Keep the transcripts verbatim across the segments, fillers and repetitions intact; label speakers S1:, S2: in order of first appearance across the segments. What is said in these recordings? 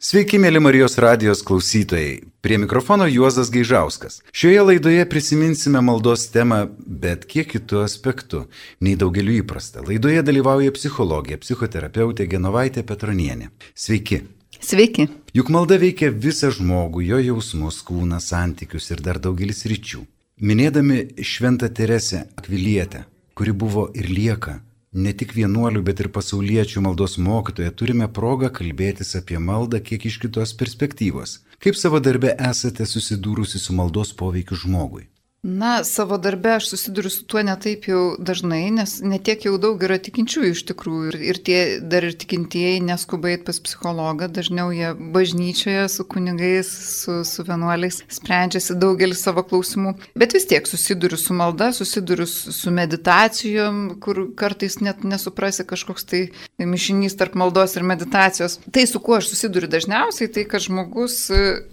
S1: Sveiki, mėly Marijos radijos klausytojai. Prie mikrofono Juozas Gaižauskas. Šioje laidoje prisiminsime maldos temą, bet kiek kitų aspektų, nei daugeliu įprasta. Laidoje dalyvauja psichologė, psichoterapeutė Genovaitė Petronienė. Sveiki.
S2: Sveiki.
S1: Juk malda veikia visą žmogų, jo jausmus, kūną, santykius ir dar daugelis ryčių. Minėdami Šventą Teresę Akvilietę, kuri buvo ir lieka ne tik vienuolių, bet ir pasauliečių maldos mokytoja, turime progą kalbėtis apie maldą kiek iš kitos perspektyvos. Kaip savo darbe esate susidūrusi su maldos poveikiu žmogui?
S2: Na, savo darbe aš susiduriu su tuo netaip jau dažnai, nes netiek jau daug yra tikinčiųjų iš tikrųjų. Ir, ir tie dar ir tikintieji neskuba eit pas psichologą, dažniau jie bažnyčioje su kunigais, su, su vienuoliais sprendžiasi daugelį savo klausimų. Bet vis tiek susiduriu su malda, susiduriu su meditacijom, kur kartais net nesuprasi kažkoks tai mišinys tarp maldos ir meditacijos. Tai, su kuo aš susiduriu dažniausiai, tai kad žmogus,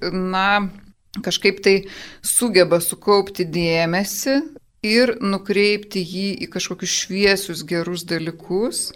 S2: na, kažkaip tai sugeba sukaupti dėmesį ir nukreipti jį į kažkokius šviesius gerus dalykus,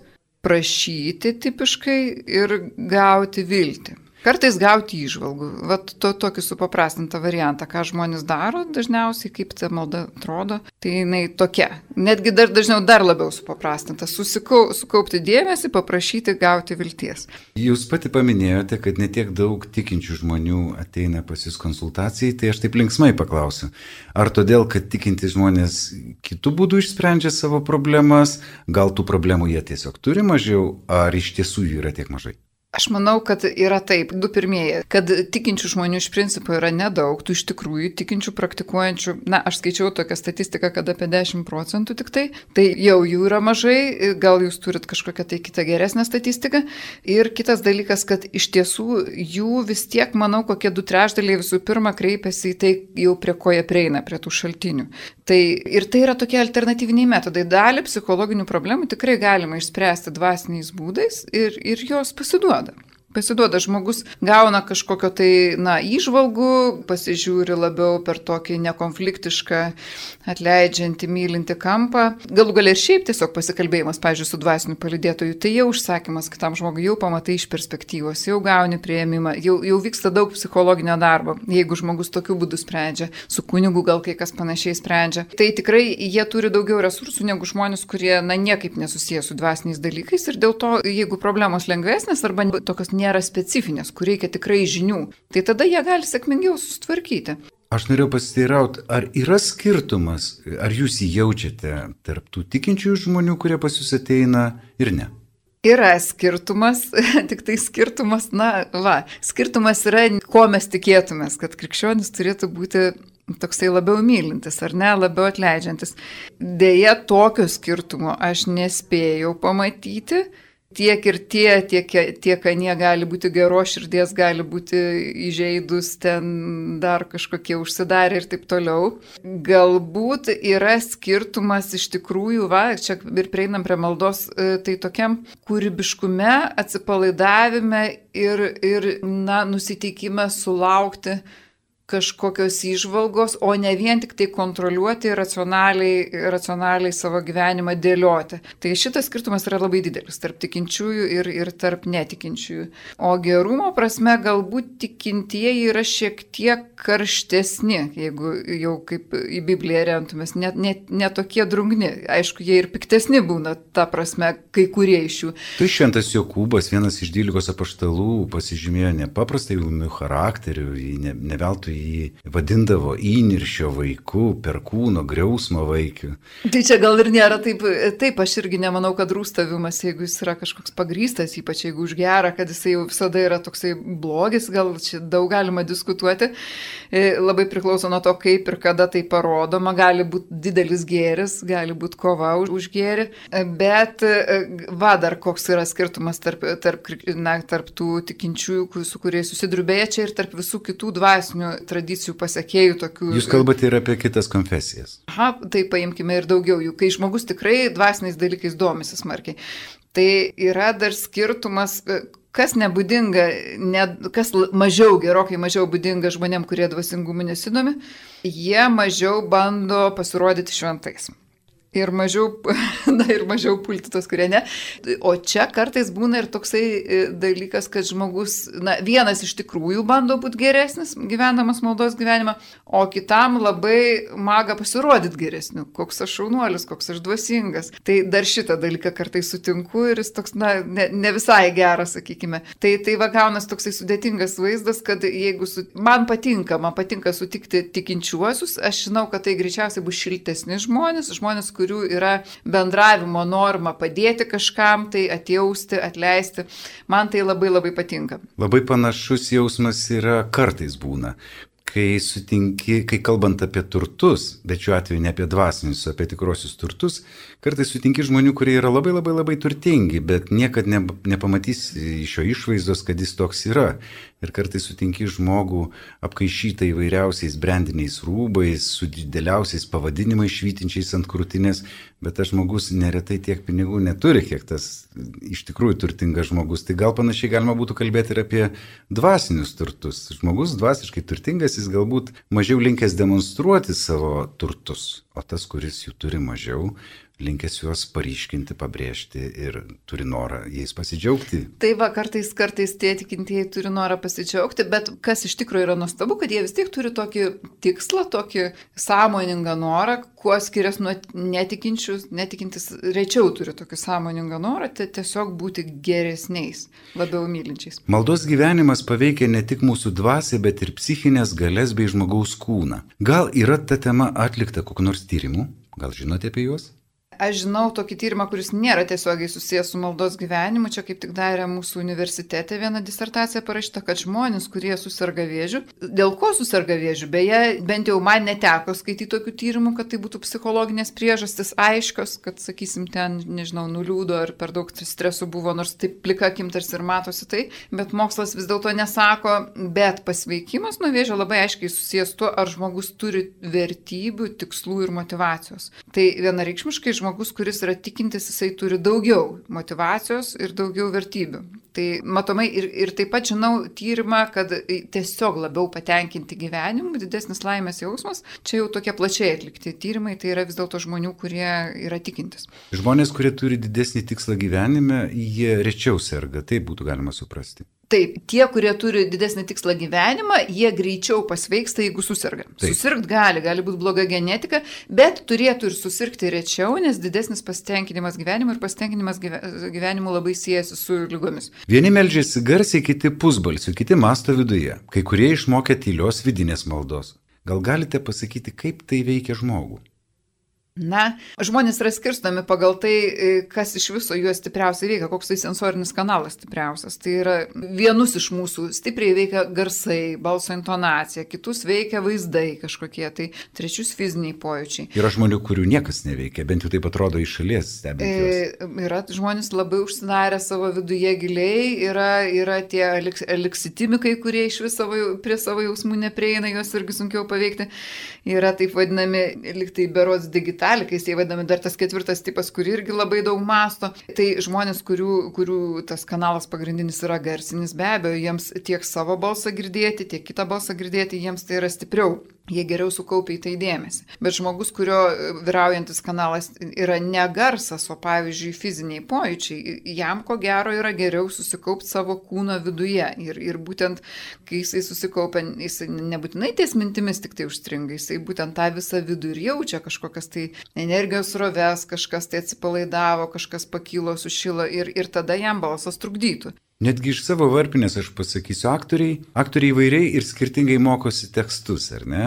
S2: prašyti tipiškai ir gauti viltį. Kartais gauti įžvalgų. Vat to, tokį supaprastintą variantą, ką žmonės daro dažniausiai, kaip ta malda atrodo, tai jinai tokia. Netgi dar dažniau dar labiau supaprastinta. Susikau, sukaupti dėmesį, paprašyti gauti vilties.
S1: Jūs pati paminėjote, kad netiek daug tikinčių žmonių ateina pas jūs konsultacijai, tai aš taip linksmai paklausiu. Ar todėl, kad tikinti žmonės kitų būdų išsprendžia savo problemas, gal tų problemų jie tiesiog turi mažiau, ar iš tiesų jų yra tiek mažai?
S2: Aš manau, kad yra taip, du pirmieji, kad tikinčių žmonių iš principo yra nedaug, tų iš tikrųjų tikinčių, praktikuojančių, na, aš skaičiau tokią statistiką, kad apie dešimt procentų tik tai, tai jau jų yra mažai, gal jūs turit kažkokią tai kitą geresnę statistiką. Ir kitas dalykas, kad iš tiesų jų vis tiek, manau, kokie du trečdaliai visų pirma kreipiasi į tai jau prie ko jie prieina, prie tų šaltinių. Tai, ir tai yra tokie alternatyviniai metodai. Dalį psichologinių problemų tikrai galima išspręsti dvasiniais būdais ir, ir jos pasiduoda. Pasiduoda, žmogus gauna kažkokio tai, na, įžvalgų, pasižiūri labiau per tokį nekonfliktišką, atleidžiantį, mylintį kampą. Galų galia ir šiaip tiesiog pasikalbėjimas, pavyzdžiui, su dvasiniu palydėtoju, tai jau užsakymas kitam žmogui, jau pamatai iš perspektyvos, jau gauni priėmimą, jau, jau vyksta daug psichologinio darbo, jeigu žmogus tokiu būdu sprendžia, su kunigu gal kai kas panašiai sprendžia. Tai tikrai jie turi daugiau resursų negu žmonės, kurie, na, niekaip nesusiję su dvasiniais dalykais ir dėl to, jeigu problemos lengvesnės arba tokios nėra specifinės, kur reikia tikrai žinių, tai tada jie gali sėkmingiau susitvarkyti.
S1: Aš norėjau pasiteirauti, ar yra skirtumas, ar jūs jį jaučiate tarp tų tikinčių žmonių, kurie pas jūs ateina ir ne?
S2: Yra skirtumas, tik tai skirtumas, na, va, skirtumas yra, ko mes tikėtumės, kad krikščionis turėtų būti toksai labiau mylintis, ar ne, labiau atleidžiantis. Deja, tokio skirtumo aš nespėjau pamatyti. Tiek ir tie, tiek, tiek anie gali būti geros širdies, gali būti įžeidus, ten dar kažkokie užsidarę ir taip toliau. Galbūt yra skirtumas iš tikrųjų, va, čia ir prieinam prie maldos, tai tokiam kūrybiškume, atsipalaidavime ir, ir na, nusiteikime sulaukti kažkokios įžvalgos, o ne vien tik tai kontroliuoti ir racionaliai, racionaliai savo gyvenimą dėlioti. Tai šitas skirtumas yra labai didelis tarp tikinčiųjų ir, ir tarp netikinčiųjų. O gerumo prasme galbūt tikintieji yra šiek tiek karštesni, jeigu jau kaip į Bibliją remtumės, net ne, ne tokie drungni. Aišku, jie ir piktesni būna, ta prasme, kai kurie iš jų.
S1: Tai Šventas Jokūbas, vienas iš dvylikos apaštalų, pasižymėjo nepaprastai jaunų charakterių, ne, ne veltui jį vadindavo įniršio vaiku, perkūno, griausmo vaikiu.
S2: Tai čia gal ir nėra taip, taip aš irgi nemanau, kad rūstavimas, jeigu jis yra kažkoks pagrįstas, ypač jeigu už gerą, kad jisai jau visada yra toksai blogis, gal čia daug galima diskutuoti, labai priklauso nuo to, kaip ir kada tai parodoma, gali būti didelis gėris, gali būti kova už, už gėrį, bet va dar koks yra skirtumas tarp, tarp, na, tarp tų tikinčiųjų, su kuriais susiduriu, beje, čia ir tarp visų kitų dvasinių tradicijų pasiekėjų tokių.
S1: Jūs kalbate ir apie kitas konfesijas.
S2: Aha, tai paimkime ir daugiau jų, kai žmogus tikrai dvasiniais dalykais domisi smarkiai. Tai yra dar skirtumas, kas nebūdinga, ne, kas mažiau, gerokai mažiau būdinga žmonėm, kurie dvasingumu nesidomi, jie mažiau bando pasirodyti šventais. Ir mažiau, na, ir mažiau pulti tos, kurie ne. O čia kartais būna ir toksai dalykas, kad žmogus, na, vienas iš tikrųjų bando būti geresnis, gyvenamas maldos gyvenimą, o kitam labai maga pasirodyti geresniu. Koks aš šaunuolis, koks aš dvasingas. Tai dar šitą dalyką kartais sutinku ir jis toks, na, ne, ne visai geras, sakykime. Tai, tai va gaunas toksai sudėtingas vaizdas, kad jeigu su... man patinka, man patinka sutikti tikinčiuosius, aš žinau, kad tai greičiausiai bus šiltesni žmonės, žmonės, kurių yra bendravimo norma padėti kažkam, tai atjausti, atleisti. Man tai labai labai patinka.
S1: Labai panašus jausmas yra kartais būna, kai sutinki, kai kalbant apie turtus, bet šiuo atveju ne apie dvasinius, o apie tikrosius turtus, kartais sutinki žmonių, kurie yra labai labai labai turtingi, bet niekad ne, nepamatys iš jo išvaizdos, kad jis toks yra. Ir kartais sutinki žmogų apkaišytą įvairiausiais brandiniais rūbais, su dideliausiais pavadinimais švytinčiais ant krūtinės, bet tas žmogus neretai tiek pinigų neturi, kiek tas iš tikrųjų turtingas žmogus. Tai gal panašiai galima būtų kalbėti ir apie dvasinius turtus. Žmogus dvasiškai turtingas, jis galbūt mažiau linkęs demonstruoti savo turtus, o tas, kuris jų turi mažiau, linkęs juos paryškinti, pabrėžti ir turi norą jais pasidžiaugti.
S2: Tai va, kartais, kartais tie tikintieji turi norą pasidžiaugti, bet kas iš tikrųjų yra nuostabu, kad jie vis tiek turi tokį tikslą, tokį sąmoningą norą, kuo skiriasi nuo netikinčių, netikintis rečiau turi tokį sąmoningą norą, tai tiesiog būti geresniais, labiau mylinčiais.
S1: Maldos gyvenimas paveikia ne tik mūsų dvasią, bet ir psichinės galias bei žmogaus kūną. Gal yra ta tema atlikta kokiu nors tyrimu? Gal žinote apie juos?
S2: Aš žinau tokį tyrimą, kuris nėra tiesiogiai susijęs su maldos gyvenimu. Čia kaip tik darė mūsų universitete viena disertacija parašyta, kad žmonės, kurie susirga vėžiu, dėl ko susirga vėžiu, beje, bent jau man neteko skaityti tokių tyrimų, kad tai būtų psichologinės priežastis aiškios, kad, sakysim, ten, nežinau, nuliūdo ar per daug stresų buvo, nors taip plika akim tarsi ir matosi tai, bet mokslas vis dėlto nesako, bet pasveikimas nuo vėžio labai aiškiai susijęs tuo, ar žmogus turi vertybių, tikslų ir motyvacijos. Tai vienareikšmiškai žmogus, kuris yra tikintis, jisai turi daugiau motyvacijos ir daugiau vertybių. Tai matomai ir, ir taip pat žinau tyrimą, kad tiesiog labiau patenkinti gyvenimu, didesnis laimės jausmas, čia jau tokie plačiai atlikti tyrimai, tai yra vis dėlto žmonių, kurie yra tikintis.
S1: Žmonės, kurie turi didesnį tikslą gyvenime, jie rečiau serga, taip būtų galima suprasti.
S2: Taip, tie, kurie turi didesnį tikslą gyvenimą, jie greičiau pasveiksta, jeigu susirga. Taip. Susirgt gali, gali būti bloga genetika, bet turėtų ir susirgti rečiau, nes didesnis pasitenkinimas gyvenimu ir pasitenkinimas gyvenimu labai siejasi su ligomis.
S1: Vieni meldžiasi garsiai, kiti pusbalsiu, kiti masto viduje, kai kurie išmokė tylios vidinės maldos. Gal galite pasakyti, kaip tai veikia žmogų?
S2: Na, žmonės yra skirstomi pagal tai, kas iš viso juos stipriausiai veikia, koks tai sensorinis kanalas stipriausias. Tai yra vienus iš mūsų stipriai veikia garsai, balso intonacija, kitus veikia vaizdai kažkokie, tai trečius fiziniai pojūčiai.
S1: Yra žmonių, kurių niekas neveikia, bent jau taip atrodo iš šalies stebint juos.
S2: E, yra žmonės labai užsidarę savo viduje giliai, yra, yra tie eliksitimikai, kurie iš vis savo, prie savo jausmų neprieina, juos irgi sunkiau paveikti. Yra taip vadinami, liktai berods digitaliai, Talikais, jie vadinami dar tas ketvirtas tipas, kur irgi labai daug masto. Tai žmonės, kurių, kurių tas kanalas pagrindinis yra garsinis, be abejo, jiems tiek savo balsą girdėti, tiek kitą balsą girdėti, jiems tai yra stipriau. Jie geriau sukaupia į tai dėmesį. Bet žmogus, kurio vyraujantis kanalas yra ne garsas, o pavyzdžiui fiziniai pojūčiai, jam ko gero yra geriau susikaupti savo kūno viduje. Ir, ir būtent, kai jisai susikaupia, jisai nebūtinai ties mintimis tik tai užstringa, jisai būtent tą visą vidų ir jaučia kažkokias tai energijos sroves, kažkas tai atsipalaidavo, kažkas pakilo, sušilo ir, ir tada jam balsas trukdytų.
S1: Netgi iš savo varpinės aš pasakysiu, aktoriai, aktoriai įvairiai ir skirtingai mokosi tekstus, ar ne?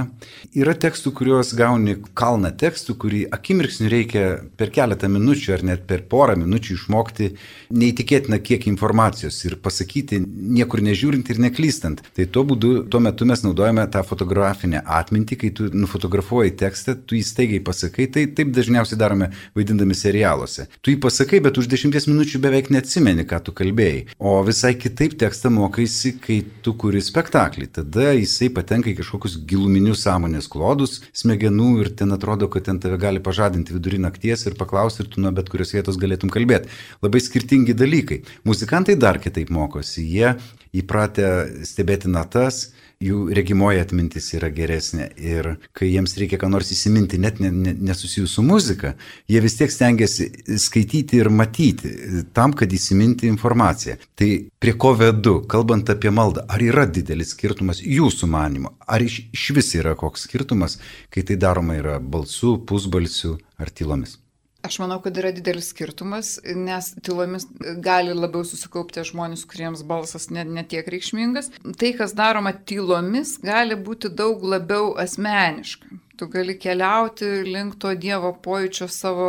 S1: Yra tekstų, kuriuos gauni kalną tekstų, kurį akimirksniu reikia per keletą minučių ar net per porą minučių išmokti neįtikėtiną kiekį informacijos ir pasakyti niekur nežiūrint ir neklystant. Tai tuo būdu, tuo metu mes naudojame tą fotografinę atmintį, kai tu nufotografuoji tekstą, tu jį staigiai pasakai, tai taip dažniausiai darome vaidindami serialuose. Tu jį pasakai, bet už dešimties minučių beveik neatsimeni, ką tu kalbėjai. O visai kitaip tekstą mokaisi, kai tu kuri spektaklį. Tada jisai patenka į kažkokius giluminius sąmonės klodus smegenų ir ten atrodo, kad ten tave gali pažadinti vidury nakties ir paklausti ir tu nuo bet kurios vietos galėtum kalbėti. Labai skirtingi dalykai. Muzikantai dar kitaip mokosi. Jie, įpratę stebėti natas, jų regimoji atmintis yra geresnė ir kai jiems reikia ką nors įsiminti, net nesusijus su muzika, jie vis tiek stengiasi skaityti ir matyti tam, kad įsiminti informaciją. Tai prie ko vedu, kalbant apie maldą, ar yra didelis skirtumas jūsų manymu, ar iš, iš vis yra koks skirtumas, kai tai daroma yra balsu, pusbalsiu ar tylomis?
S2: Aš manau, kad yra didelis skirtumas, nes tylomis gali labiau susikaupti žmonės, kuriems balsas net ne tiek reikšmingas. Tai, kas daroma tylomis, gali būti daug labiau asmeniška. Tu gali keliauti link to Dievo pojūčio savo,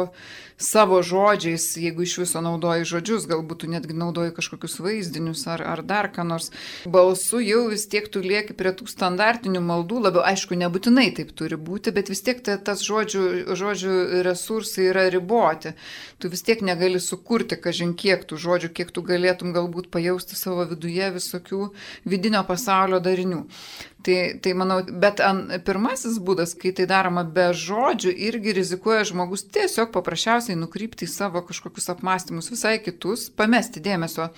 S2: savo žodžiais, jeigu iš viso naudoji žodžius, galbūt tu netgi naudoji kažkokius vaizdinius ar, ar dar ką nors. Balsu jau vis tiek tu lieki prie tų standartinių maldų, labiau aišku, nebūtinai taip turi būti, bet vis tiek ta, tas žodžių, žodžių resursai yra riboti. Tu vis tiek negali sukurti kažin kiek tų žodžių, kiek tu galėtum galbūt pajausti savo viduje visokių vidinio pasaulio darinių. Tai, tai manau, bet an, pirmasis būdas, kai tai daroma be žodžių, irgi rizikuoja žmogus tiesiog paprasčiausiai nukrypti į savo kažkokius apmąstymus visai kitus, pamesti dėmesio,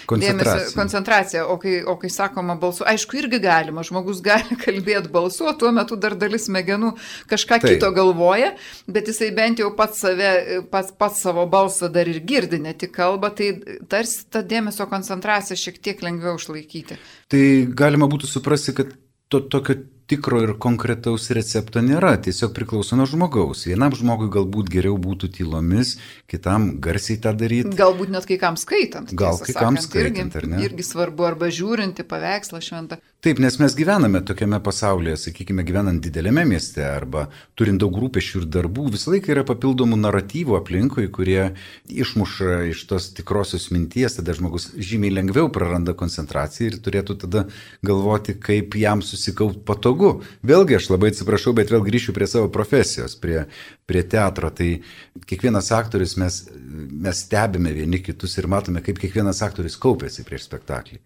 S2: dėmesio koncentraciją. O kai, o kai sakoma balsu, aišku, irgi galima, žmogus gali kalbėti balsu, o tuo metu dar dalis smegenų kažką tai kito galvoja, bet jisai bent jau pats, save, pats, pats savo balsą dar ir girdi, ne tik kalba, tai tarsi tą dėmesio koncentraciją šiek tiek lengviau išlaikyti.
S1: Tai galima būtų suprasti, kad to tokio tikro ir konkretaus recepto nėra, tiesiog priklauso nuo žmogaus. Vienam žmogui galbūt geriau būtų tylomis, kitam garsiai tą daryti.
S2: Galbūt net kai kam skaitant.
S1: Gal kai kam skaitant,
S2: irgi,
S1: ar ne?
S2: Irgi svarbu, arba žiūrinti paveikslą šventą.
S1: Taip, nes mes gyvename tokiame pasaulyje, sakykime, gyvenant didelėme mieste arba turint daug rūpesčių ir darbų, visą laiką yra papildomų naratyvų aplinkui, kurie išmuša iš tos tikrosios minties, tada žmogus žymiai lengviau praranda koncentraciją ir turėtų tada galvoti, kaip jam susikaupt patogu. Vėlgi, aš labai atsiprašau, bet vėl grįšiu prie savo profesijos, prie, prie teatro. Tai kiekvienas aktorius mes, mes stebime vieni kitus ir matome, kaip kiekvienas aktorius kaupėsi prieš spektaklį.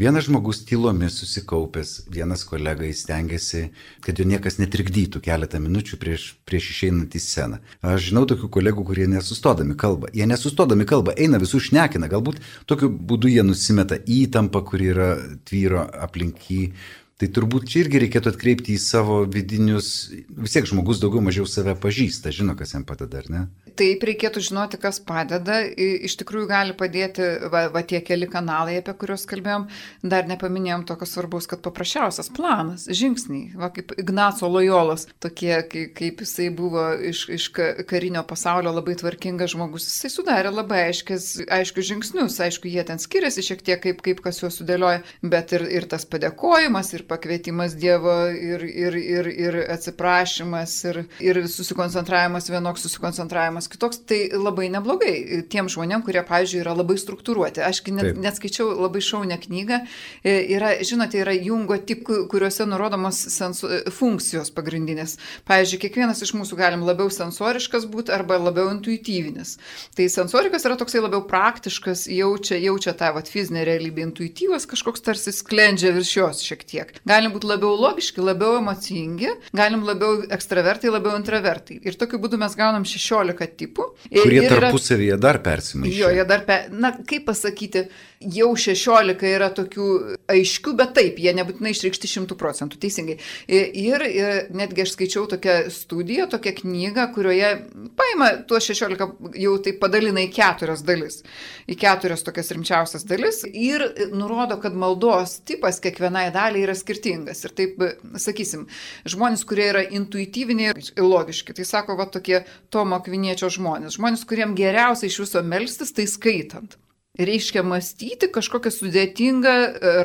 S1: Vienas žmogus tylomis susikaupęs, vienas kolega įstengiasi, kad jo niekas netrikdytų keletą minučių prieš, prieš išeinant į sceną. Aš žinau tokių kolegų, kurie nesustodami kalba. Jie nesustodami kalba, eina visų šnekina. Galbūt tokiu būdu jie nusimeta įtampą, kuri yra tvyro aplink jį. Tai turbūt čia irgi reikėtų atkreipti į savo vidinius, vis tiek žmogus daugiau mažiau save pažįsta, žino, kas jam padeda, ar ne?
S2: Taip, reikėtų žinoti, kas padeda. Iš tikrųjų gali padėti va, va tie keli kanalai, apie kuriuos kalbėjom. Dar nepaminėjom tokio svarbaus, kad paprasčiausias planas, žingsniai, va kaip Ignaco Lojolos, tokie, kaip, kaip jisai buvo iš, iš karinio pasaulio labai tvarkingas žmogus. Jisai sudarė labai aiškis, aiškius žingsnius, aišku, jie ten skiriasi šiek tiek, kaip, kaip kas juos sudėlioja, bet ir, ir tas padėkojimas, ir pakvietimas Dievo, ir, ir, ir, ir atsiprašymas, ir, ir susikoncentravimas vienoks, susikoncentravimas kitoks, tai labai neblogai tiem žmonėm, kurie, pavyzdžiui, yra labai struktūruoti. Aš net, net skaičiau labai šaunę knygą, yra, žinote, yra Jungo tipų, kuriuose nurodomos sensu, funkcijos pagrindinės. Pavyzdžiui, kiekvienas iš mūsų galim labiau sensoriškas būti arba labiau intuityvinis. Tai sensorikas yra toksai labiau praktiškas, jaučia, jaučia tą vat, fizinę realybę, intuityvas kažkoks tarsi sklendžia virš jos šiek tiek. Galim būti labiau logiški, labiau emocingi, galim labiau ekstravertai, labiau intravertai. Ir tokiu būdu mes gaunam šešiolika tipų.
S1: Kurie tarpusavyje dar persimaišė.
S2: Jo, jie dar, per, na, kaip pasakyti, jau šešiolika yra tokių aiškių, bet taip, jie nebūtinai išreikšti šimtų procentų, teisingai. Ir, ir netgi aš skaičiau tokią studiją, tokią knygą, kurioje paima tuos šešiolika, jau taip padalina į keturias dalis. Į keturias tokias rimčiausias dalis ir nurodo, kad maldos tipas kiekvienai daliai yra skirtingas. Ir taip, sakysim, žmonės, kurie yra intuityviniai ir logiški, tai sako, va tokie Tomo Akviniečio žmonės. Žmonės, kuriem geriausia iš viso melstis, tai skaitant. Reiškia mąstyti kažkokią sudėtingą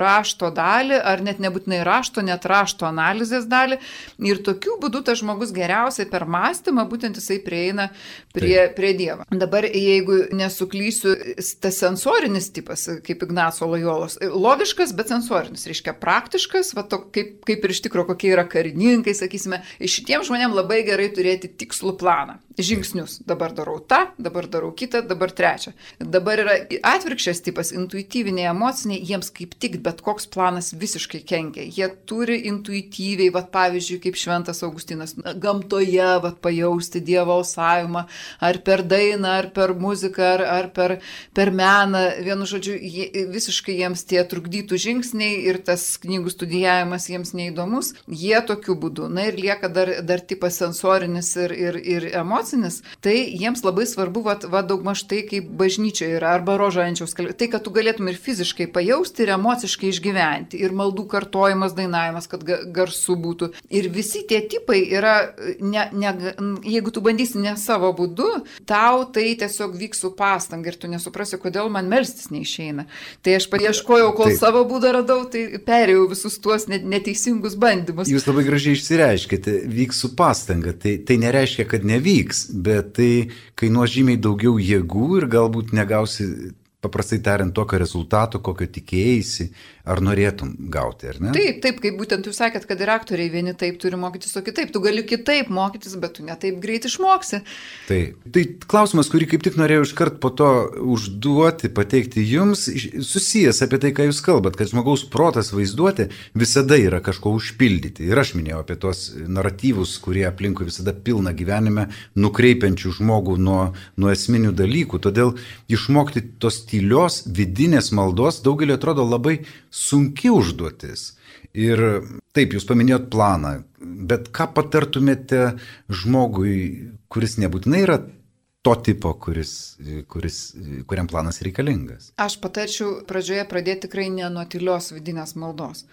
S2: rašto dalį, ar net nebūtinai rašto, net rašto analizės dalį. Ir tokiu būdu tas žmogus geriausiai per mąstymą, būtent jisai prieina prie, prie Dievo. Dabar, jeigu nesuklysiu, tas sensorinis tipas, kaip Ignaco Lojolos, logiškas, bet sensorinis, reiškia praktiškas, va to, kaip, kaip ir iš tikro kokie yra karininkai, sakysime, šitiem žmonėm labai gerai turėti tikslų planą. žingsnius. Dabar darau tą, dabar darau kitą, dabar trečią. Dabar yra atvirkščias tipas, intuityviniai, emociniai, jiems kaip tik bet koks planas visiškai kenkia. Jie turi intuityviai, vat, pavyzdžiui, kaip Šventas Augustinas, gamtoje vat, pajausti Dievo alsavimą, ar per dainą, ar per muziką, ar, ar per, per meną. Vienu žodžiu, jie, visiškai jiems tie trukdytų žingsniai ir tas knygų studijavimas jiems neįdomus. Jie tokiu būdu. Na ir lieka dar, dar tipas sensorinis ir, ir, ir emocinis. Tai jiems labai svarbu, va, va daugmaž tai, kaip bažnyčioje yra, arba rožančiaus kalbėti, tai, kad tu galėtum ir fiziškai pajausti, ir emociškai išgyventi, ir maldų kartojimas, dainavimas, kad garsu būtų. Ir visi tie tipai yra, ne, ne, jeigu tu bandysi ne savo būdu, tau tai tiesiog vyks su pastanga ir tu nesuprasi, kodėl man melstis neišeina. Tai aš paieškojau, kol Taip. savo būdą radau, tai perėjau visus tuos neteisingus bandymus.
S1: Jūs labai gražiai išsireiškite, vyks su pastanga, tai, tai nereiškia, kad nevyks. Bet tai kainuos žymiai daugiau jėgų ir galbūt negausi, paprastai tariant, tokio rezultato, kokio tikėjai, ar norėtum gauti, ar ne?
S2: Taip, taip, kaip būtent jūs sakėt, kad ir aktoriai vieni taip turi mokytis, o kitaip. Tu gali kitaip mokytis, bet tu ne taip greit išmoksi.
S1: Taip. Tai klausimas, kurį kaip tik norėjau iškart po to užduoti, pateikti jums, susijęs apie tai, ką jūs kalbat, kad žmogaus protas vaizduoti visada yra kažko užpildyti. Ir aš minėjau apie tos naratyvus, kurie aplinkui visada pilna gyvenime, nukreipiančių žmogų nuo, nuo esminių dalykų. Todėl išmokti tos tylios vidinės maldos daugelį atrodo labai sunki užduotis. Ir taip, jūs paminėjot planą, bet ką patartumėte žmogui, kuris nebūtinai yra to tipo, kuris, kuris, kuriam planas reikalingas?
S2: Aš patarčiau pradžioje pradėti tikrai ne nuo tylios vidinės maldos.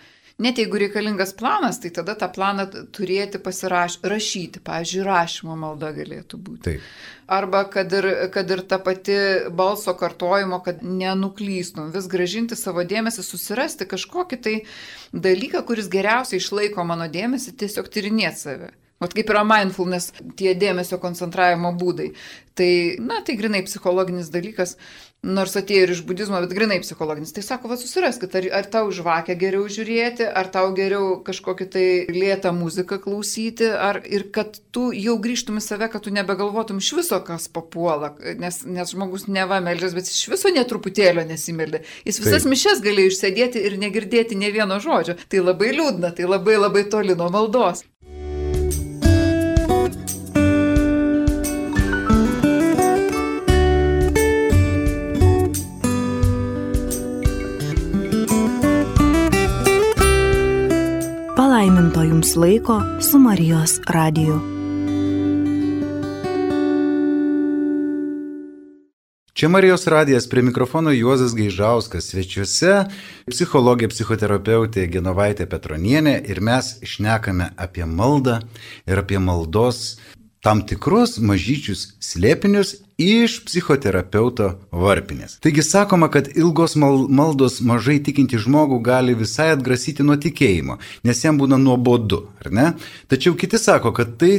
S2: Net jeigu reikalingas planas, tai tada tą planą turėti pasirašyti. Pavyzdžiui, rašymo malda galėtų būti.
S1: Taip.
S2: Arba kad ir, kad ir ta pati balso kartojimo, kad nenuklystum, vis gražinti savo dėmesį, susirasti kažkokį tai dalyką, kuris geriausiai išlaiko mano dėmesį, tiesiog tyrinėti save. Vat kaip yra mindfulness, tie dėmesio koncentravimo būdai. Tai, na, tai grinai psichologinis dalykas, nors atėjo ir iš budizmo, bet grinai psichologinis. Tai sako, va susiraskit, ar, ar tau žvakę geriau žiūrėti, ar tau geriau kažkokį tai lėtą muziką klausyti, ar ir kad tu jau grįžtum į save, kad tu nebegalvotum iš viso, kas papuola, nes, nes žmogus neva meldžias, bet iš viso netruputėlio nesimeldė. Jis visas Taip. mišes galėjo išsėdėti ir negirdėti ne vieno žodžio. Tai labai liūdna, tai labai labai toli nuo maldos.
S3: Palaiminto jums laiko su Marijos radiju.
S1: Čia Marijos radijas, prie mikrofono Juozas Gaižauskas, svečiuose psichologė, psichoterapeutė Genovaitė Petronienė ir mes šnekame apie maldą ir apie maldos tam tikrus mažyčius slėpinius iš psichoterapeuto varpinės. Taigi sakoma, kad ilgos maldos mažai tikinti žmogų gali visai atgrasyti nuo tikėjimo, nes jam būna nuobodu, ar ne? Tačiau kiti sako, kad tai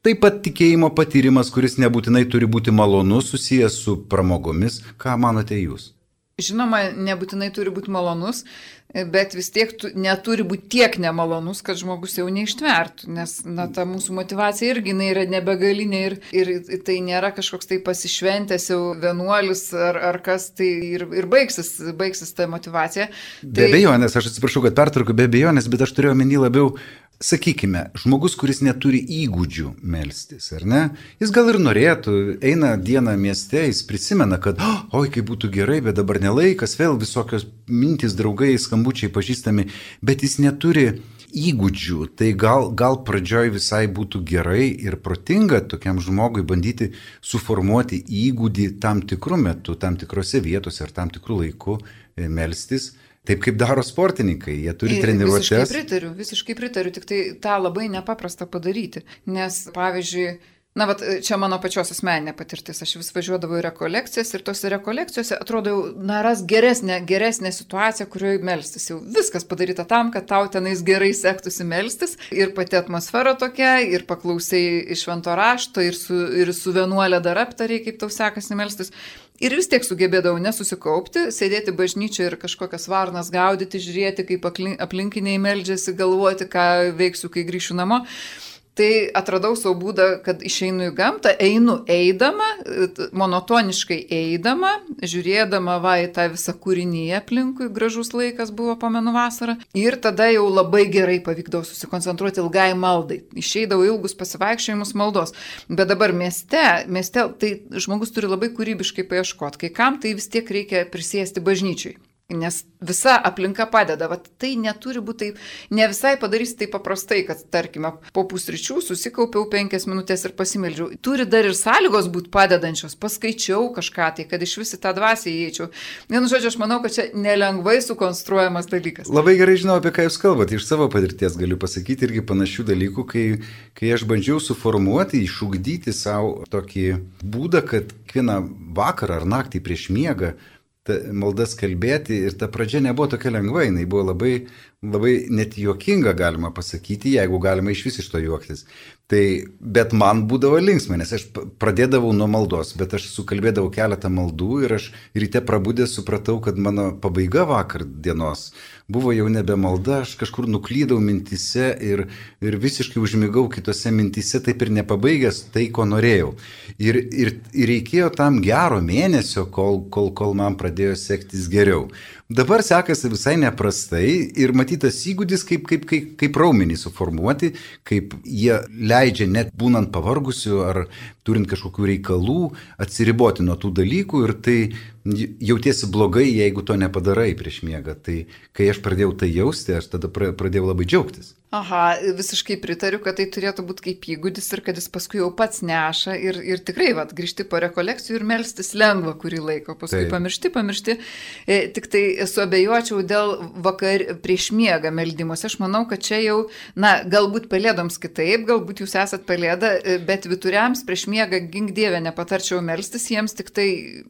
S1: taip pat tikėjimo patyrimas, kuris nebūtinai turi būti malonus, susijęs su pramogomis. Ką manote jūs?
S2: Žinoma, nebūtinai turi būti malonus, bet vis tiek tu, neturi būti tiek nemalonus, kad žmogus jau neištvertų, nes na, ta mūsų motivacija irgi yra nebegalinė ir, ir tai nėra kažkoks tai pasišventęs jau vienuolis ar, ar kas, tai ir, ir baigsis, baigsis ta motivacija.
S1: Be abejonės, aš atsiprašau, kad pertraukiu, be abejonės, bet aš turėjau omeny labiau, sakykime, žmogus, kuris neturi įgūdžių melstis, ar ne? Jis gal ir norėtų, eina dieną mieste, jis prisimena, kad, oi, kaip būtų gerai, bet dabar nelaikas, vėl visokios mintys, draugai, skambučiai pažįstami, bet jis neturi įgūdžių, tai gal, gal pradžioj visai būtų gerai ir protinga tokiam žmogui bandyti suformuoti įgūdį tam tikrų metų, tam tikrose vietose ar tam tikrų laikų melstis. Taip kaip daro sportininkai, jie turi treniruotes.
S2: Visiškai pritariu, visiškai pritariu, tik tai tą labai nepaprasta padaryti, nes pavyzdžiui, na, vat, čia mano pačios asmeninė patirtis, aš vis važiuodavau į rekolekcijas ir tose rekolekcijose atrodo, na, ras geresnė, geresnė situacija, kurioje melstis. Jau viskas padaryta tam, kad tau tenais gerai sektųsi melstis ir pati atmosfera tokia, ir paklausai iš švento rašto, ir su, ir su vienuolė dar aptariai, kaip tau sekasi melstis. Ir vis tiek sugebėdavau nesusikaupti, sėdėti bažnyčioje ir kažkokias varnas gaudyti, žiūrėti, kaip aplinkiniai meldžiasi, galvoti, ką veiksiu, kai grįšiu namo. Tai atradau savo būdą, kad išeinu į gamtą, einu eidama, monotoniškai eidama, žiūrėdama va į tą visą kūrinį aplinkui, gražus laikas buvo, pamenu, vasarą. Ir tada jau labai gerai pavykdavo susikoncentruoti ilgai maldai. Išeidavau ilgus pasivaikščiojimus maldos. Bet dabar mieste, mieste tai žmogus turi labai kūrybiškai paieškoti. Kai kam tai vis tiek reikia prisėsti bažnyčiai. Nes visa aplinka padeda. Vat tai neturi būti taip, ne visai padarysi taip paprastai, kad, tarkime, po pusryčių susikaupiau penkias minutės ir pasimeldžiau. Turi dar ir sąlygos būti padedančios, paskaičiau kažką tai, kad iš visi tą dvasią įeičiau. Vienu žodžiu, aš manau, kad čia nelengvai sukonstruojamas dalykas.
S1: Labai gerai žinau, apie ką jūs kalbate. Iš savo patirties galiu pasakyti irgi panašių dalykų, kai, kai aš bandžiau suformuoti, išugdyti savo tokį būdą, kad kiekvieną vakarą ar naktį prieš miegą maldas kalbėti ir ta pradžia nebuvo tokia lengva, jinai buvo labai, labai net juokinga, galima pasakyti, jeigu galima iš vis iš to juoktis. Tai, bet man būdavo linksma, nes aš pradėdavau nuo maldos, bet aš sukalbėdavau keletą maldų ir aš ryte prabudęs supratau, kad mano pabaiga vakar dienos buvo jau nebe malda, aš kažkur nuklydau mintise ir, ir visiškai užmigau kitose mintise, taip ir nepabaigęs tai, ko norėjau. Ir, ir, ir reikėjo tam gero mėnesio, kol, kol, kol man pradėjo sektis geriau. Dabar sekasi visai neprastai ir matytas įgūdis, kaip, kaip, kaip, kaip raumenį suformuoti, kaip jie leidžia net būnant pavargusiu ar turint kažkokių reikalų atsiriboti nuo tų dalykų ir tai jautiesi blogai, jeigu to nepadarai prieš miegą. Tai kai aš pradėjau tai jausti, aš tada pradėjau labai džiaugtis.
S2: Aha, visiškai pritariu, kad tai turėtų būti kaip įgūdis ir kad jis paskui jau pats neša ir, ir tikrai, vat, grįžti po rekolekcijų ir melstis lengva kurį laiką, paskui Taip. pamiršti, pamiršti. E, tik tai suabejočiau dėl vakar prieš miegą meldimus. Aš manau, kad čia jau, na, galbūt pelėdoms kitaip, galbūt jūs esat pelėda, bet vyturiams prieš miegą gink dievę nepatarčiau melstis jiems tik tai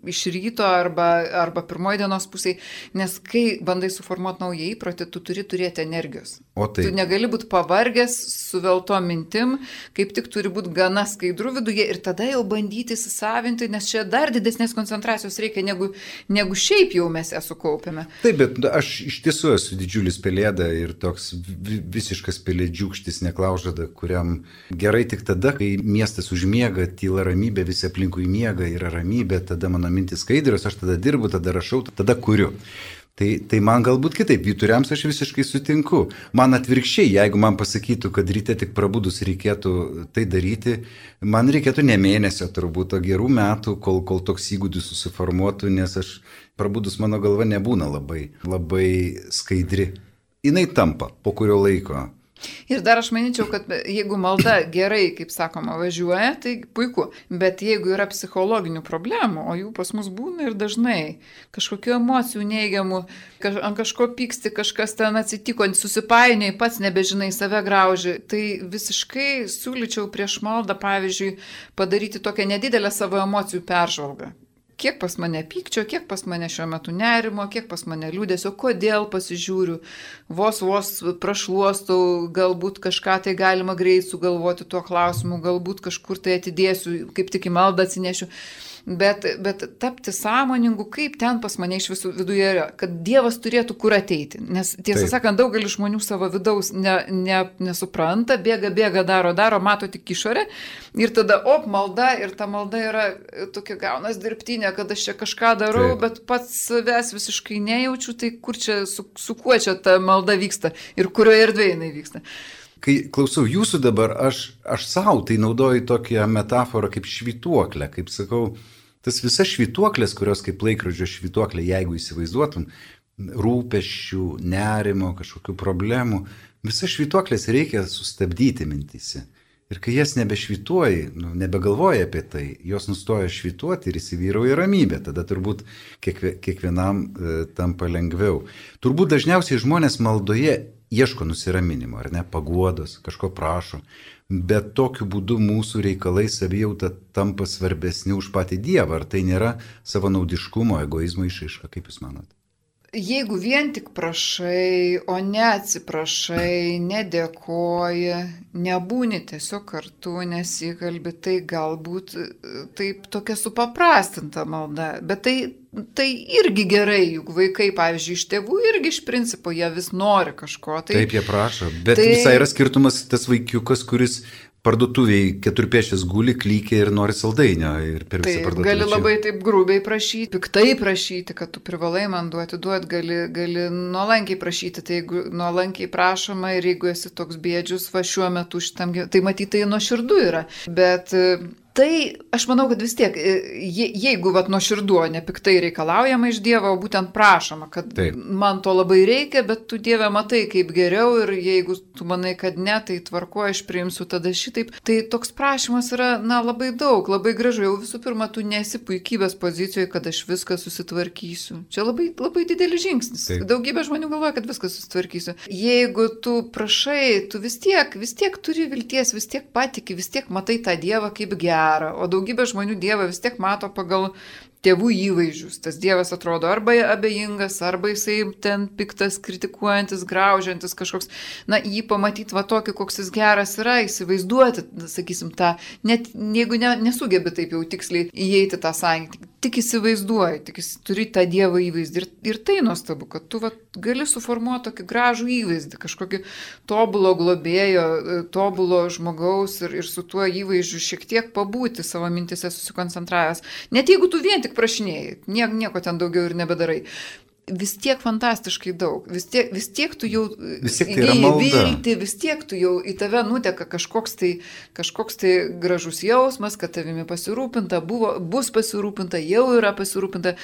S2: iš ryto arba, arba pirmoji dienos pusėje, nes kai bandai suformuoti naują įprotį, tu turi turėti energijos.
S1: O tai.
S2: Tu negali būti pavargęs, suvelto mintim, kaip tik turi būti gana skaidru viduje ir tada jau bandyti įsisavinti, nes čia dar didesnės koncentracijos reikia, negu, negu šiaip jau mes ją sukaupėme.
S1: Taip, bet aš iš tiesų esu didžiulis pelėda ir toks visiškas pelėdžiūkštis neklaužada, kuriam gerai tik tada, kai miestas užmiega, tyla ramybė, visi aplinkui miega, yra ramybė, tada mano mintis skaidrios, aš tada dirbu, tada rašau, tada kuriu. Tai, tai man galbūt kitaip, vyturiams aš visiškai sutinku. Man atvirkščiai, jeigu man pasakytų, kad ryte tik prabudus reikėtų tai daryti, man reikėtų ne mėnesio turbūt, o gerų metų, kol, kol toks įgūdis susiformuotų, nes aš prabudus mano galva nebūna labai, labai skaidri. Jinai tampa po kurio laiko.
S2: Ir dar aš manyčiau, kad jeigu malda gerai, kaip sakoma, važiuoja, tai puiku. Bet jeigu yra psichologinių problemų, o jų pas mus būna ir dažnai, kažkokių emocijų neigiamų, kaž, ant kažko pyksti, kažkas ten atsitiko, susipainiai, pats nebežinai, save grauži, tai visiškai siūlyčiau prieš maldą, pavyzdžiui, padaryti tokią nedidelę savo emocijų peržvalgą. Kiek pas mane pykčio, kiek pas mane šiuo metu nerimo, kiek pas mane liūdėsio, kodėl pasižiūriu, vos vos prašluostau, galbūt kažką tai galima greit sugalvoti tuo klausimu, galbūt kažkur tai atidėsiu, kaip tik į maldą atsinešiu. Bet, bet tapti sąmoningu, kaip ten pas mane iš visų viduje yra, kad Dievas turėtų kur ateiti. Nes tiesą Taip. sakant, daugelis žmonių savo vidaus ne, ne, nesupranta, bėga, bėga, daro, daro, mato tik išorę ir tada, op, malda ir ta malda yra tokia gaunas dirbtinė, kad aš čia kažką darau, Taip. bet pats savęs visiškai nejaučiu, tai kur čia, su, su kuo čia ta malda vyksta ir kurioje erdvėje jinai vyksta.
S1: Kai klausau jūsų dabar, aš, aš savo tai naudoju tokią metaforą kaip švytuoklę, kaip sakau, tas visas švytuoklės, kurios kaip laikrodžio švytuoklė, jeigu įsivaizduotum, rūpesčių, nerimo, kažkokių problemų, visas švytuoklės reikia sustabdyti mintise. Ir kai jas nebešvytuoji, nu, nebegalvoji apie tai, jos nustoja švytuoti ir įsivyrauja ramybė, tada turbūt kiekvie, kiekvienam e, tampa lengviau. Turbūt dažniausiai žmonės maldoje ieško nusiraminimo, ar ne, paguodos, kažko prašo, bet tokiu būdu mūsų reikalai savijauta tampa svarbesni už patį Dievą. Ar tai nėra savanaudiškumo, egoizmo išraiška, kaip jūs manot?
S2: Jeigu vien tik prašai, o ne atsiprašai, nedėkoji, nebūni tiesiog kartu, nesikalbi, tai galbūt taip tokia supaprastinta malda, bet tai, tai irgi gerai, juk vaikai, pavyzdžiui, iš tėvų irgi iš principo jie vis nori kažko. Tai,
S1: Taip, jie prašo, bet
S2: tai,
S1: visai yra skirtumas tas vaikiukas, kuris parduotuviai keturpėšės guli, klykia ir nori saldainio ir per visą
S2: taip,
S1: parduotuvę.
S2: Gali labai taip grubiai prašyti, piktai prašyti, kad tu privalai man duoti, duoti, gali, gali nuolankiai prašyti, tai jeigu nuolankiai prašoma ir jeigu esi toks bėdžius, va šiuo metu šitam gyvenimui, tai matyt, tai nuoširdu yra, bet tai aš manau, kad vis tiek, je, jeigu vat nuoširdu, ne piktai reikalaujama iš Dievo, o būtent prašoma, kad taip. Man to labai reikia, bet tu Dieve matai kaip geriau ir jeigu tu manai, kad ne, tai tvarko, aš priimsiu tada šitaip. Tai toks prašymas yra, na, labai daug, labai gražu. Jau visų pirma, tu nesi puikybės pozicijoje, kad aš viską susitvarkysiu. Čia labai, labai didelis žingsnis. Taip. Daugybė žmonių galvoja, kad viską susitvarkysiu. Jeigu tu prašai, tu vis tiek, vis tiek turi vilties, vis tiek patiki, vis tiek matai tą Dievą kaip gerą. O daugybė žmonių Dievą vis tiek mato pagal tėvų įvaizdžius. Tas Dievas atrodo arba abejingas, arba jisai ten piktas, kritikuojantis, graužiantis kažkoks. Na, jį pamatyti va tokį, koks jis geras yra, įsivaizduoti, sakysim, tą, net jeigu ne, nesugebi taip jau tiksliai įeiti tą santykį, tik įsivaizduoji, tik turi tą Dievo įvaizdį. Ir, ir tai nuostabu, kad tu va, gali suformuoti tokį gražų įvaizdį, kažkokį tobulo globėjo, tobulo žmogaus ir, ir su tuo įvaizdžiu šiek tiek pabūti savo mintise susikoncentravęs. Net jeigu tu vien tik prašinėjai, nieko, nieko ten daugiau ir nebedarai. Vis tiek fantastiškai daug, vis tiek, vis tiek tu jau įgėjai viltį, vis tiek tu jau į tave nuteka kažkoks tai, kažkoks tai gražus jausmas, kad tavimi pasirūpinta, buvo, bus pasirūpinta, jau yra pasirūpinta,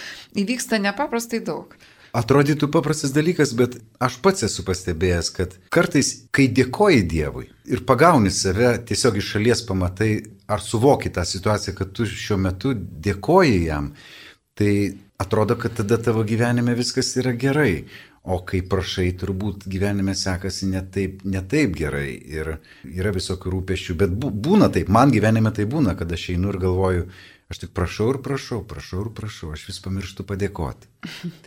S2: įvyksta nepaprastai daug.
S1: Atrodytų paprastas dalykas, bet aš pats esu pastebėjęs, kad kartais, kai dėkoji Dievui ir pagauni save, tiesiog iš šalies pamatai ar suvoki tą situaciją, kad tu šiuo metu dėkoji jam, tai atrodo, kad tada tavo gyvenime viskas yra gerai, o kai prašai, turbūt gyvenime sekasi ne taip, ne taip gerai ir yra visokių rūpesčių, bet būna taip, man gyvenime tai būna, kad aš einu ir galvoju, aš tik prašau ir prašau, prašau ir prašau, aš vis pamirštu padėkoti.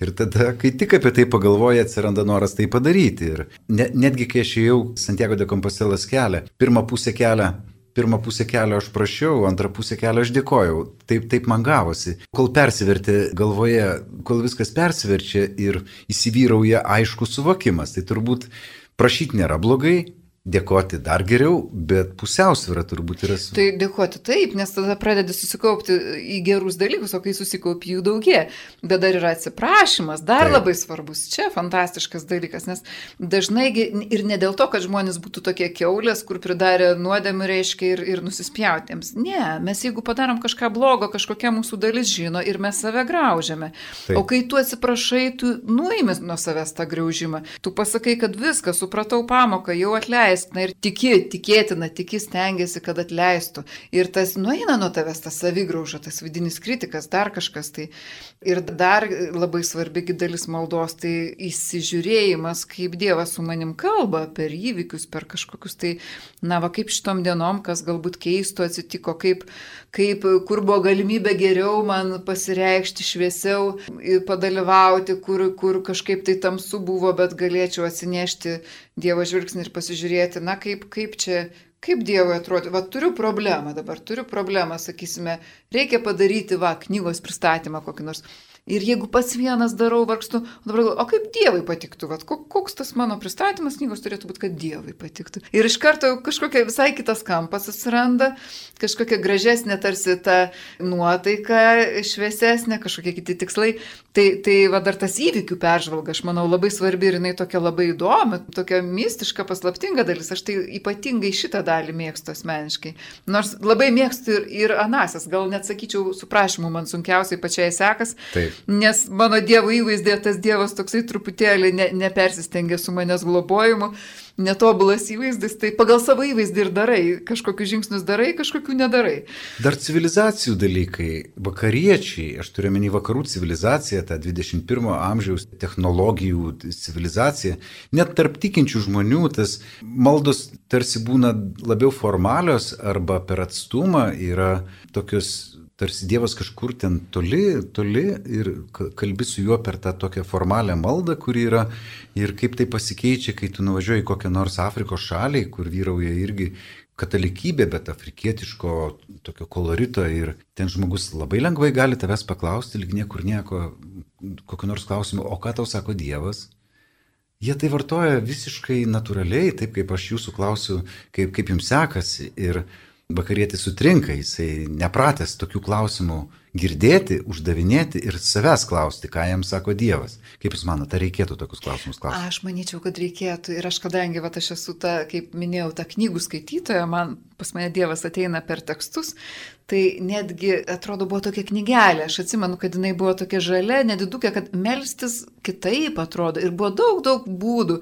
S1: Ir tada, kai tik apie tai pagalvoji, atsiranda noras tai padaryti. Ir ne, netgi kai aš ėjau Santiago de Compostelos kelią, pirmą pusę kelią, Pirmą pusę kelio aš prašiau, antrą pusę kelio aš dėkojau. Taip, taip man gavosi. Kol persivertė galvoje, kol viskas persiverčia ir įsivyrauja aiškus suvokimas, tai turbūt prašyti nėra blogai, dėkoti dar geriau, bet pusiausvyra turbūt yra su...
S2: Tai dėkoti taip, nes tada pradedi susikaupti į gerus dalykus, o kai susikaupi jų daugie. Bet dar yra atsiprašymas, dar taip. Labai svarbus. Čia fantastiškas dalykas, nes dažnai ir ne dėl to, kad žmonės būtų tokie kiaulės, kur pridarė nuodėmių reiškia ir, ir nusispjautėms. Ne, mes jeigu padarom kažką blogo, kažkokia mūsų dalis žino ir mes save graužiame. Taip. O kai tu atsiprašai, tu nuimi nuo savęs tą graužimą. Tu pasakai, kad viską, supratau pamoką, jau atleidžiu. Na ir tiki, tikėtina, tiki stengiasi, kad atleistų. Ir tas nueina nuo tavęs, tas savigrauža, tas vidinis kritikas, dar kažkas. Tai. Ir dar labai svarbi dalis maldos, tai įsižiūrėjimas, kaip Dievas su manim kalba per įvykius, per kažkokius tai, na va kaip šitom dienom, kas galbūt keistų atsitiko, kaip, kaip, kur buvo galimybė geriau man pasireikšti šviesiau, padalyvauti, kur, kur kažkaip tai tamsu buvo, bet galėčiau atsinešti Dievo žvilgsnį ir pasižiūrėti, na kaip, kaip čia, kaip Dievui atrodo, va turiu problemą dabar, turiu problemą, sakysime, reikia padaryti, va, knygos pristatymą kokį nors. Ir jeigu pats vienas darau, vargstu, o dabar galvoju, o kaip Dievui patiktų, vat, koks tas mano pristatymas knygos turėtų būti, kad Dievui patiktų. Ir iš karto kažkokia visai kitas kampas atsiranda, kažkokia gražesnė tarsi ta nuotaika, šviesesnė, kažkokie kiti tikslai. Tai, tai va dar tas įvykių peržvalga, aš manau, labai svarbi ir jinai tokia labai įdomi, tokia mistiška, paslaptinga dalis. Aš tai ypatingai šitą dalį mėgstu asmeniškai. Nors labai mėgstu ir, ir anasias, gal net sakyčiau, su prašymu man sunkiausiai pačiai sekas. Taip. Nes mano Dievo įvaizdė, tas Dievas toksai truputėlį ne, nepersistengia su manęs globojimu, netobulas įvaizdis, tai pagal savo įvaizdį ir darai, kažkokius žingsnius darai, kažkokių nedarai.
S1: Dar civilizacijų dalykai, vakariečiai, aš turiu menį vakarų civilizaciją, tą dvidešimt pirmo amžiaus technologijų civilizaciją, net tarp tikinčių žmonių tas maldos tarsi būna labiau formalios arba per atstumą yra tokios tarsi Dievas kažkur ten toli, toli ir kalbi su juo per tą tokią formalią maldą, kuri yra ir kaip tai pasikeičia, kai tu nuvažiuoji į kokią nors Afrikos šalį, kur vyrauja irgi katalikybė, bet afrikietiško tokio kolorito ir ten žmogus labai lengvai gali tavęs paklausti, lyg niekur nieko, kokiu nors klausimu, o ką tau sako Dievas? jie tai vartoja visiškai natūraliai, taip kaip aš jūsų klausiu, kaip, kaip jums sekasi. Ir vakarietis sutrinka, jisai nepratęs tokių klausimų girdėti, uždavinėti ir savęs klausti, ką jam sako Dievas. Kaip jūs manote, ar reikėtų tokius klausimus klausti?
S2: Aš manyčiau, kad reikėtų. Ir aš kadangi, va, aš esu ta, kaip minėjau, ta knygų skaitytoja, man pas mane Dievas ateina per tekstus, tai netgi, atrodo, buvo tokia knygelė. Aš atsimenu, kad jinai buvo tokia žalia, nedidukė, kad melstis kitaip atrodo. Ir buvo daug, daug būdų,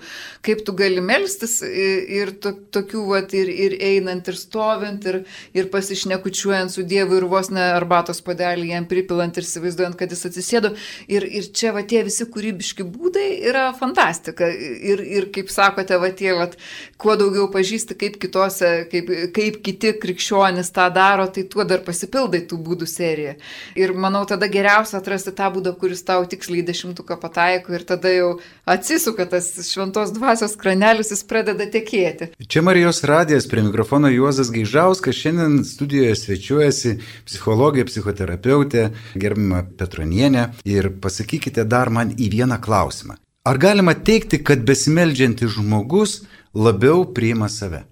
S2: kaip tu gali melstis ir to, tokių, va, ir, ir einant, ir stovint, ir, ir pasišnekučiuojant su Dievu, ir vos ne arbatos padelį jam pripilant ir įsivaizduojant, kad jis atsisėdo. Ir, ir čia, va, tie visi kūrybiški būdai yra fantastika. Ir, ir kaip sakote, va, tie, va, kuo daugiau pažįsti, kaip kitose, kaip, kaip kiti krikščionys tą daro, tai tuo dar pasipildai tų būdų seriją. Ir manau, tada geriausia atrasti tą būdą, kuris tau tiksliai dešimtuką pataiko ir tada jau atsisuka tas šventos dvasios kranelis, jis pradeda tekėti.
S1: Čia Marijos radijas, prie mikrofono Juozas Gaižauskas, šiandien studijoje svečiuojasi psichologė, psichoterapeutė, gerbiama Petronienė. Ir pasakykite dar man į vieną klausimą. Ar galima teigti, kad besimeldžiantis žmogus labiau priima save?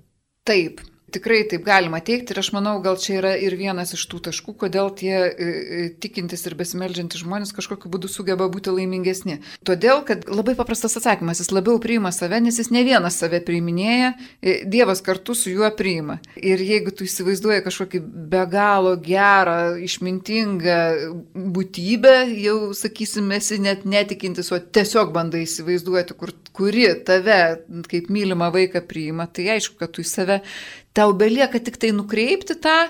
S2: Taip. Tikrai taip galima teikti ir aš manau, gal čia yra ir vienas iš tų taškų, kodėl tie e, tikintis ir besimeldžiantys žmonės kažkokiu būdu sugeba būti laimingesni. Todėl, kad labai paprastas atsakymas, jis labiau priima save, nes jis ne vienas save priiminėja, e, Dievas kartu su juo priima. Ir jeigu tu įsivaizduoji kažkokį be galo gerą, išmintingą būtybę, jau sakysim, esi net netikintis, o tiesiog bandai įsivaizduoti, kur, kuri tave kaip mylimą vaiką priima, tai aišku, kad tu į save tau belieka tik tai nukreipti tą,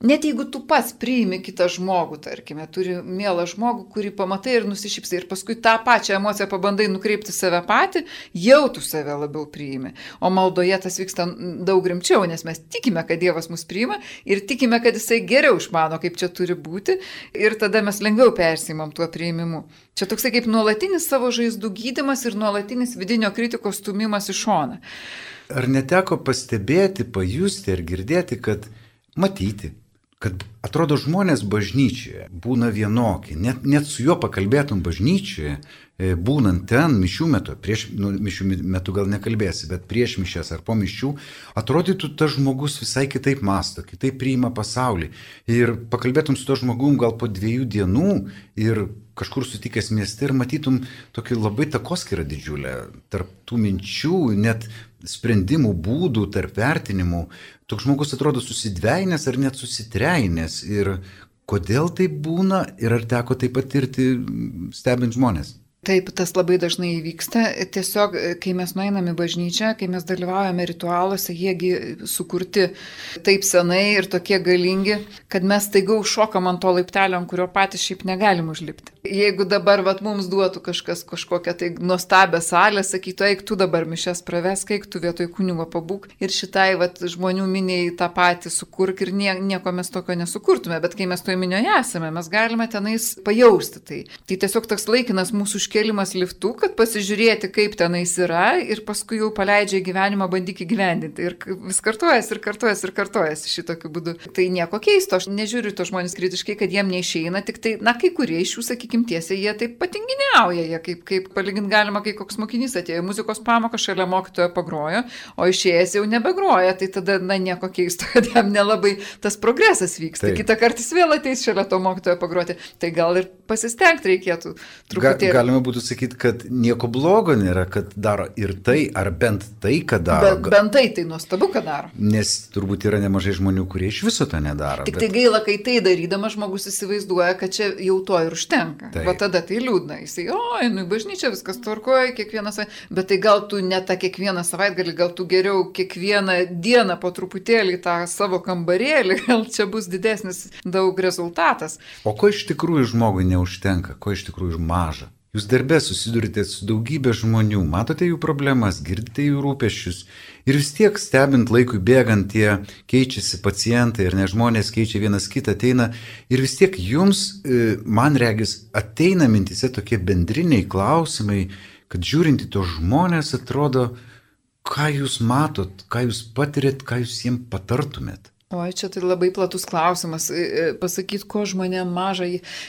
S2: net jeigu tu pats priimi kitą žmogų, tarkime, turi mielą žmogų, kurį pamatai ir nusišypsai ir paskui tą pačią emociją pabandai nukreipti save patį, jau tu save labiau priimi. O maldoje tas vyksta daug rimčiau, nes mes tikime, kad Dievas mus priima ir tikime, kad jisai geriau išmano, kaip čia turi būti ir tada mes lengviau persimam tuo priimimu. Čia toksai kaip nuolatinis savo žaizdų gydymas ir nuolatinis vidinio kritikos stumimas į šoną.
S1: Ar neteko pastebėti, pajusti ar girdėti, kad matyti, kad atrodo žmonės bažnyčioje būna vienokie, net, net su juo pakalbėtum bažnyčioje, būnant ten mišių metu, prieš nu, mišių metu gal nekalbėsi, bet prieš mišias ar po mišių, atrodytų tas žmogus visai kitaip mąsto, kitaip priima pasaulį. Ir pakalbėtum su to žmogum gal po dviejų dienų ir kažkur sutikęs mieste ir matytum tokį labai takoskyrą didžiulę tarp tų minčių, net sprendimų būdų, tarp vertinimų. Toks žmogus atrodo susidveinęs ar net susitreinęs. Ir kodėl tai būna ir ar teko tai patirti stebint žmonės?
S2: Taip, tas labai dažnai įvyksta. Tiesiog, kai mes nueiname į bažnyčią, kai mes dalyvaujame ritualuose, jiegi sukurti taip senai ir tokie galingi, kad mes staiga užšokam ant to laiptelio, ant kurio patys šiaip negalim užlipti. Jeigu dabar vat, mums duotų kažkas kažkokią tai nuostabią salę, sakytų, eik tu dabar mišias pravesk, eik tu vietoj kunigo pabūk ir šitai vat, žmonių miniai tą patį sukurk ir nie, nieko mes tokio nesukurtume, bet kai mes toje minioje esame, mes galime tenais pajausti tai. Tai tiesiog toks laikinas mūsų kelimas liftu, kad pasižiūrėti, kaip tenais yra ir paskui jau paleidžia į gyvenimą, bandyk įgyvendinti. Ir vis kartuojasi, ir kartuojasi, ir kartuojasi šitokiu būdu. Tai nieko keisto, aš nežiūriu to žmonės kritiškai, kad jiem neišeina, tik tai, na, kai kurie iš jų, sakykim, tiesiai, jie taip patinginiauja, jie kaip, kaip palyginti galima, kai koks mokinys atėjo muzikos pamoką, šalia mokytojo pagrojo, o išėjęs jau nebegroja, tai tada, na, nieko keisto, kad jam nelabai tas progresas vyksta. Tai. Kitą kartą jis vėl ateis šalia to mokytojo pagroti. Tai gal ir pasistengti reikėtų truputėlį.
S1: Ga, galima būtų sakyti, kad nieko blogo nėra, kad daro ir tai, ar bent tai, kad daro.
S2: Bet bent tai, tai nuostabu, kad daro.
S1: Nes turbūt yra nemažai žmonių, kurie iš viso to nedaro.
S2: Tik
S1: bet...
S2: tai gaila, kai tai darydamas žmogus įsivaizduoja, kad čia jau to ir užtenka. Taip. Va tada tai liūdna. Jisai, oi, nu į bažnyčią viskas tvarkoja, kiekvieną savaitgalį. Bet tai gal tu ne tą kiekvieną savaitgalį, gal tu geriau kiekvieną dieną po truputėlį tą savo kambarėlį, gal čia bus didesnis daug rezultatas.
S1: O ko iš tikrųjų žmogui neužtenka, ko iš tikrųjų maža? Jūs darbė susidurite su daugybė žmonių, matote jų problemas, girdite jų rūpesčius ir vis tiek stebint laikui bėgant tie keičiasi pacientai ir ne žmonės keičia vienas kitą, ateina ir vis tiek jums, man regis, ateina mintise tokie bendriniai klausimai, kad žiūrint į tos žmonės atrodo, ką jūs matot, ką jūs patirėt, ką jūs jiems patartumėt.
S2: O čia tai labai platus klausimas. Pasakyti, ko žmonėm maža,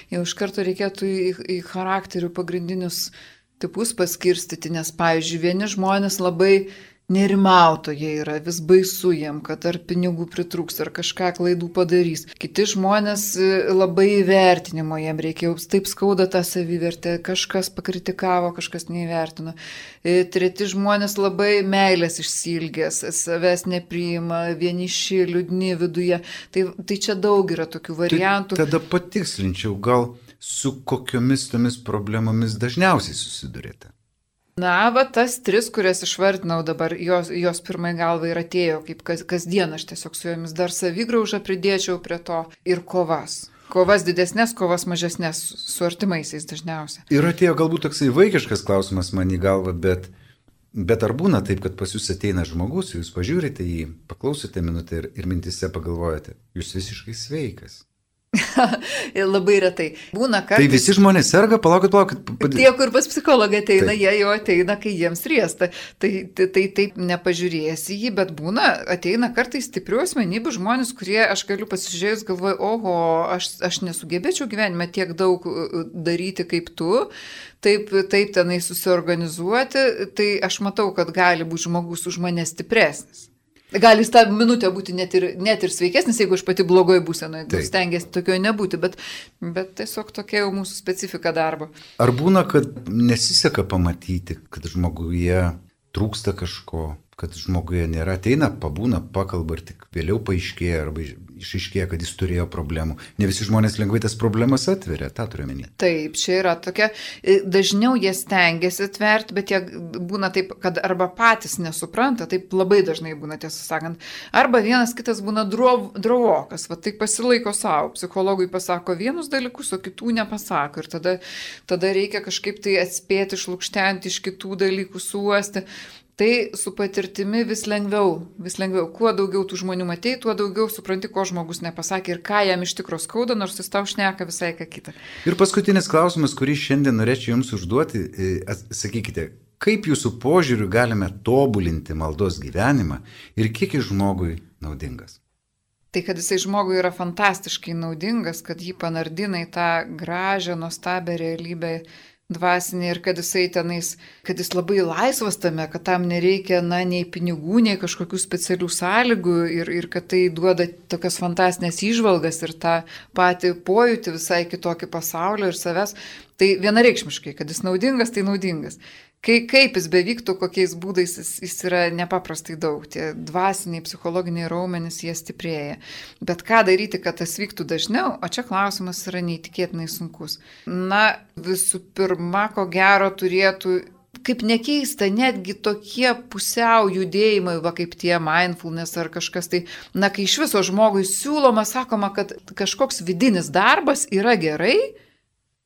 S2: jau iš karto reikėtų į, į charakterių pagrindinius tipus paskirstyti, nes, pavyzdžiui, vieni žmonės labai nerimautojai yra, vis baisu jiem, kad ar pinigų pritrūks, ar kažką klaidų padarys. Kiti žmonės labai įvertinimo jiem reikia, jau taip skauda tą savivertę, kažkas pakritikavo, kažkas neįvertino. Treti žmonės labai meilės išsilgės, savęs nepriima, vieniši, liūdni viduje. Tai, tai čia daug yra tokių variantų.
S1: Tai tada patikslinčiau, gal su kokiomis tomis problemomis dažniausiai susidurėte?
S2: Na, va, tas tris, kurias išvardinau dabar, jos, jos pirmai galva ir atėjo, kaip kas, kasdien aš tiesiog su jomis dar savigraužą pridėčiau prie to ir kovas. Kovas didesnės, kovas mažesnės su artimaisiais dažniausiai.
S1: Ir atėjo galbūt toksai vaikiškas klausimas man į galvą, bet, bet ar būna taip, kad pas jūs ateina žmogus, jūs pažiūrite jį, paklausote minutę ir, ir mintise pagalvojate, jūs visiškai sveikas.
S2: Labai retai. Būna kartais...
S1: Tai visi žmonės serga, palaukit, palaukit. Pad...
S2: Tie, kur pas psichologą ateina, taip. Jie jau ateina, kai jiems riesta. Tai, tai, tai taip nepažiūrėsi jį, bet būna, ateina kartais stiprių asmenybių žmonės, kurie, aš galiu pasižiūrėjus, galvoju, oho, aš, aš nesugebėčiau gyvenime tiek daug daryti kaip tu, taip, taip tenai susiorganizuoti, tai aš matau, kad gali būti žmogus už mane stipresnis. Gali tą minutę būti net ir, net ir sveikesnis, jeigu aš pati blogoje būsenoje, tai stengiasi tokioje nebūti, bet, bet tiesiog tokia jau mūsų specifika darbo.
S1: Ar būna, kad nesiseka pamatyti, kad žmoguje trūksta kažko, kad žmoguje nėra, ateina, pabūna, pakalba ir tik vėliau paaiškėja arba išaiškėja, kad jis turėjo problemų. Ne visi žmonės lengvai tas problemas atveria, tą turiu omeny.
S2: Taip, čia yra tokia, dažniau jie stengiasi atverti, bet jie būna taip, kad arba patys nesupranta, taip labai dažnai būna, tiesą sakant, arba vienas kitas būna drovokas, va taip pasilaiko savo, psichologui pasako vienus dalykus, o kitų nepasako ir tada, tada reikia kažkaip tai atspėti, išlukštenti iš kitų dalykų, suosti. Tai su patirtimi vis lengviau, vis lengviau. Kuo daugiau tų žmonių matei, tuo daugiau supranti, ko žmogus nepasakė ir ką jam iš tikro skauda, nors jis tau šneka visai ką kitą.
S1: Ir paskutinis klausimas, kurį šiandien norėčiau jums užduoti, sakykite, kaip jūsų požiūriu galime tobulinti maldos gyvenimą ir kiek jis žmogui naudingas?
S2: Tai, kad jisai žmogui yra fantastiškai naudingas, kad jį panardina į tą gražią, nuostabią realybę, dvasinį ir kad jisai tenais, kad jis labai laisvas tame, kad tam nereikia, na, nei pinigų, nei kažkokių specialių sąlygų ir, ir kad tai duoda tokias fantastinės įžvalgas ir tą patį pojūtį visai kitokį pasaulio ir savęs. Tai vienareikšmiškai, kad jis naudingas, tai naudingas. Kai, kaip jis bevyktų, kokiais būdais jis, jis yra nepaprastai daug. Tie dvasiniai, psichologiniai raumenys, jie stiprėja. Bet ką daryti, kad tas vyktų dažniau, o čia klausimas yra neįtikėtinai sunkus. Na, visų pirma, ko gero turėtų, kaip nekeista, netgi tokie pusiau judėjimai, va kaip tie mindfulness ar kažkas tai, na, kai iš viso žmogui siūloma, sakoma, kad kažkoks vidinis darbas yra gerai,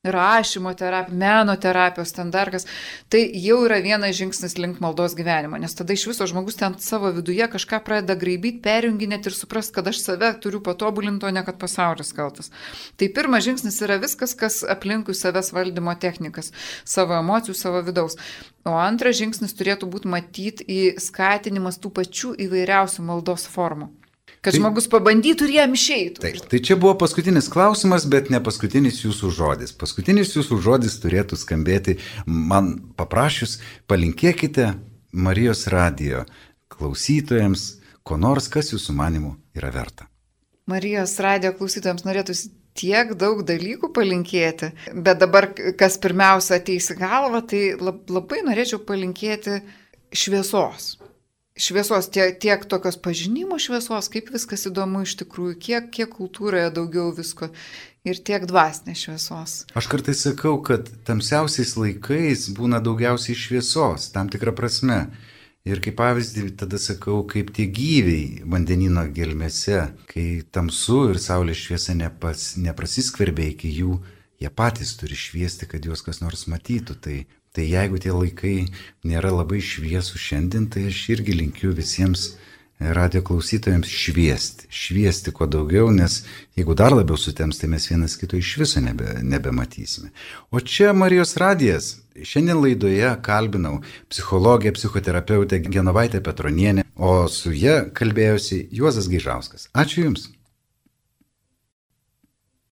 S2: rašymo terapija, meno terapijos standartas, tai jau yra vienas žingsnis link maldos gyvenimo, nes tada iš viso žmogus ten savo viduje kažką pradeda graibyti, perjunginėti ir suprast, kad aš save turiu patobulinti, o ne kad pasaulis kaltas. Tai pirmas žingsnis yra viskas, kas aplinkui savęs valdymo technikas, savo emocijų, savo vidaus. O antras žingsnis turėtų būti matyti į skatinimas tų pačių įvairiausių maldos formų. Kad tai, žmogus pabandytų ir jam išeitų.
S1: Taip, tai čia buvo paskutinis klausimas, bet ne paskutinis jūsų žodis. Paskutinis jūsų žodis turėtų skambėti man paprašius, palinkėkite Marijos radijo klausytojams, ko nors, kas jūsų manimų yra verta.
S2: Marijos radijo klausytojams norėtųsi tiek daug dalykų palinkėti, bet dabar, kas pirmiausia ateis į galvą, tai labai norėčiau palinkėti šviesos. Šviesos, tiek, tiek tokios pažinimo šviesos, kaip viskas įdomu iš tikrųjų, kiek, kiek kultūroje daugiau visko ir tiek dvasinės šviesos.
S1: Aš kartais sakau, kad tamsiausiais laikais būna daugiausiai šviesos, tam tikrą prasme. Ir kaip pavyzdį tada sakau, kaip tie gyviai vandenino gelmėse, kai tamsu ir saulės šviesa nepas, neprasiskverbia iki jų, jie patys turi šviesti, kad juos kas nors matytų. Tai Tai jeigu tie laikai nėra labai šviesų šiandien, tai aš irgi linkiu visiems radio klausytojams šviesti. Šviesti kuo daugiau, nes jeigu dar labiau sutems, tai mes vienas kito iš viso nebe, nebematysime. O čia Marijos radijas. Šiandien laidoje kalbinau psichologę, psichoterapeutę Genovaitę Petronienę, o su ja kalbėjosi Juozas Gaižauskas. Ačiū Jums.